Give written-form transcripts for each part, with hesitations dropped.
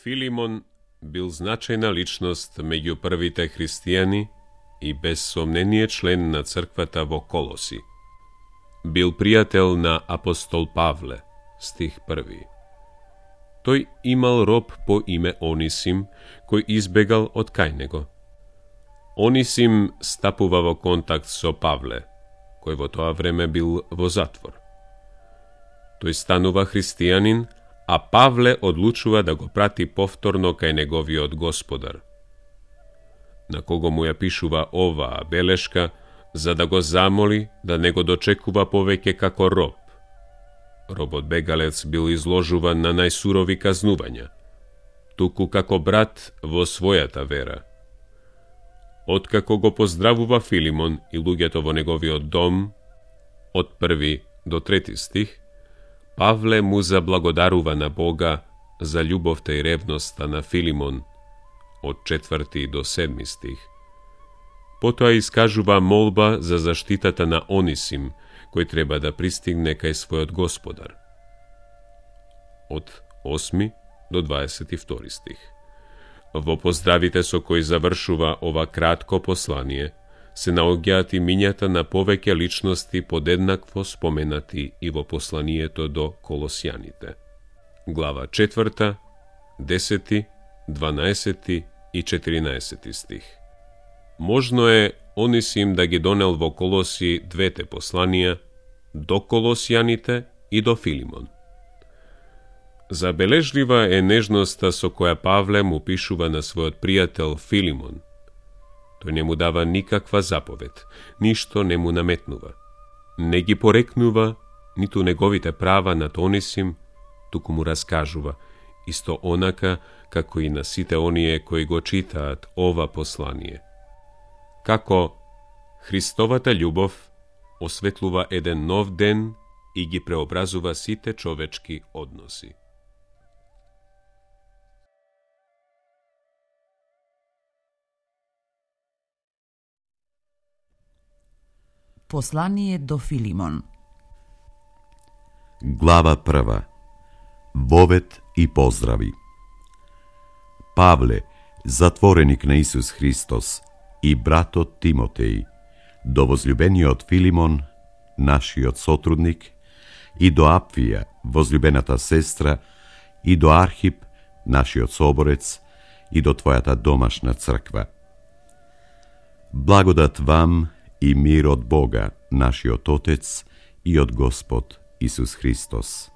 Филимон бил значајна личност меѓу првите христијани и без сомнение член на црквата во Колоси. Бил пријател на апостол Павле, стих 1. Тој имал роб по име Онисим, кој избегал од кај него. Онисим стапува во контакт со Павле, кој во тоа време бил во затвор. Тој станува христијанин, а Павле одлучува да го прати повторно кај неговиот господар, на кого му ја пишува оваа белешка, за да го замоли да не го дочекува повеќе како роб. Робот бегалец бил изложуван на најсурови казнувања, туку како брат во својата вера. Откако го поздравува Филимон и луѓето во неговиот дом, од 1 до 3 стих, Павле му заблагодарува на Бога за љубовта и ревноста на Филимон, од 4 до 7 стих. Потоа искажува молба за заштитата на Онисим, кој треба да пристигне кај својот господар. Од 8 до 22 стих. Во поздравите со кои завршува ова кратко послание, се наоѓаат имињата на повеќе личности подеднакво споменати и во посланието до Колосјаните. Глава 4, 10, 12 и 14 стих. Можно е Онисим да ги донел во Колоси двете посланија, до Колосјаните и до Филимон. Забележлива е нежноста со која Павле му пишува на својот пријател Филимон. Тој не му дава никаква заповед, ништо не му наметнува. Не ги порекнува ниту неговите права над Онисим, туку му раскажува, исто онака како и на сите оние кои го читаат ова послание. Како Христовата љубов осветлува еден нов ден и ги преобразува сите човечки односи. Послание до Филимон. Глава 1. Вовет и поздрави. Павле, затвореник на Исус Христос, и братот Тимотеј, до возлюбениот Филимон, нашиот сотрудник, и до Апфија, возлюбената сестра, и до Архип, нашиот соборец, и до твојата домашна црква. Благодат вам и мир од Бога, нашиот Отец, и од Господ Исус Христос.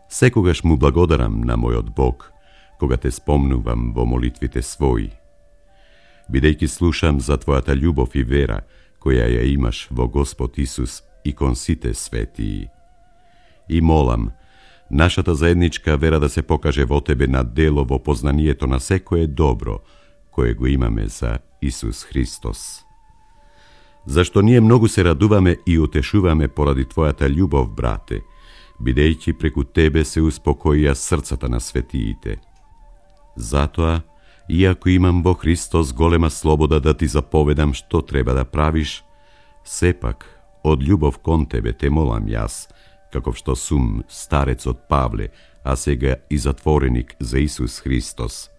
Секогаш му благодарам на мојот Бог, кога те спомнувам во молитвите своји, бидејќи слушам за твојата љубов и вера, која ја имаш во Господ Исус и кон сите светии. И молам, нашата заедничка вера да се покаже во тебе на дело во познанието на секое добро, кое го имаме за Исус Христос. Зашто ние многу се радуваме и утешуваме поради твојата љубов, брате, бидејќи преку тебе се успокоија срцата на светиите. Затоа, иако имам во Христос голема слобода да ти заповедам што треба да правиш, сепак, од љубов кон тебе те молам јас, каков што сум старецот Павле, а сега и затвореник за Исус Христос.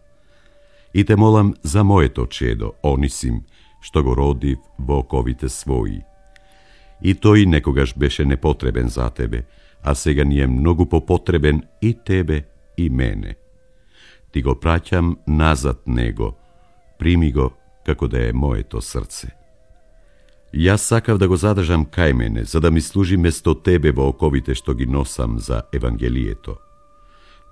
И те молам за моето чедо, Онисим, што го родив во оковите своји. И тој некогаш беше непотребен за тебе, а сега ни е многу попотребен и тебе и мене. Ти го праќам назад него, прими го како да е моето срце. Јас сакав да го задржам кај мене, за да ми служи место тебе во оковите што ги носам за Евангелието.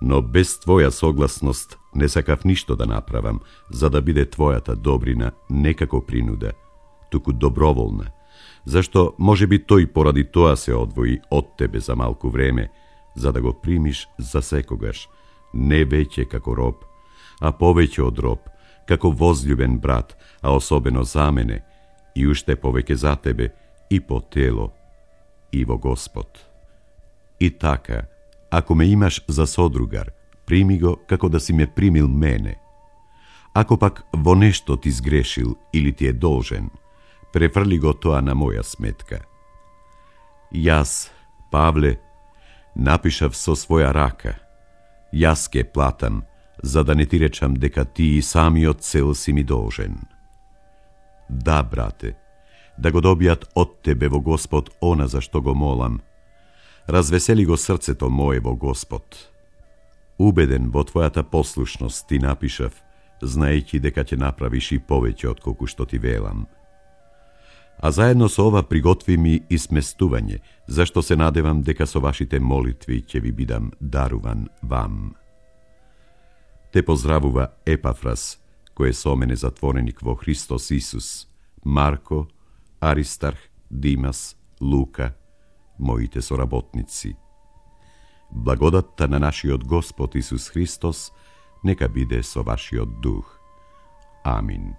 Но без твоја согласност не сакав ништо да направам, за да биде твојата добрина не како принуда, туку доброволна, зашто може би тој поради тоа се одвои од тебе за малку време, за да го примиш за секогаш, не веќе како роб, а повеќе од роб, како возљубен брат, а особено за мене, и уште повеќе за тебе, и по тело, и во Господ. И така, ако ме имаш за содругар, прими го како да си ме примил мене. Ако пак во нешто ти сгрешил или ти е должен, префрли го тоа на моја сметка. Јас, Павле, напишав со своја рака. Јас ке платам, за да не ти речам дека ти и самиот цел си ми должен. Да, брате, да го добијат од тебе во Господ она за што го молам. Развесели го срцето мое во Господ. Убеден во твојата послушност ти напишав, знаејќи дека ќе направиш и повеќе од колку што ти велам. А заедно со ова приготви ми и сместување, зашто се надевам дека со вашите молитви ќе ви бидам даруван вам. Те поздравува Епафрас, кој е со мене затвореник во Христос Исус, Марко, Аристарх, Димас, Лука, моите соработници. Благодатта на нашиот Господ Исус Христос нека биде со вашиот дух. Амин.